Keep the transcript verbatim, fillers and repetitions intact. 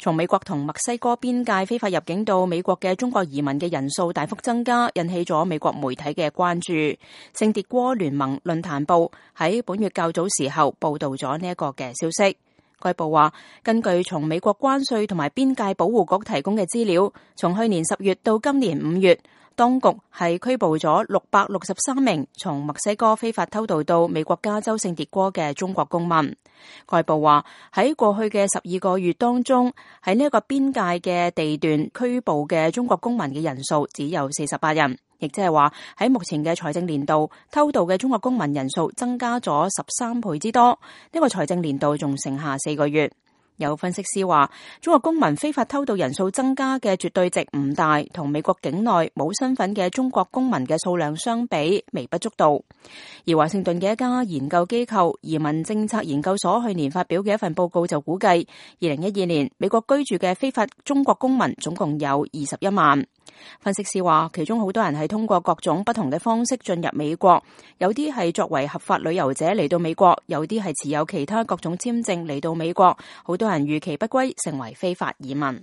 從美國同墨西哥邊界非法入境到美國嘅中國移民嘅人數大幅增加，引起咗美國媒體嘅關注。聖迭戈聯盟論壇報喺本月較早時候報道咗呢一個嘅消息。該報話，根據從美國關稅同埋邊界保護局提供嘅資料，從去年十月到今年五月，當局係拘捕咗六百六十三名從墨西哥非法偷渡到美國加州聖迭戈嘅中國公民。該報話，喺過去嘅十二個月當中，喺呢一個邊界嘅地段拘捕嘅中國公民嘅人數只有四十八人，亦即係話喺目前嘅財政年度偷渡嘅中國公民人數增加咗十三倍之多。呢個財政年度仲剩下四個月。有分析師話，中國公民非法偷渡人數增加嘅絕對值唔大，同美國境內冇身份嘅中國公民嘅數量相比微不足道。而華盛頓嘅一家研究機構移民政策研究所去年發表嘅一份報告就估計，二零一二年美國居住嘅非法中國公民總共有二十一萬。分析師話，其中好多人係通過各種不同嘅方式進入美國，有啲係作為合法旅遊者嚟到美國，有啲係持有其他各種簽證嚟到美國，好多人逾期不歸，成為非法移民。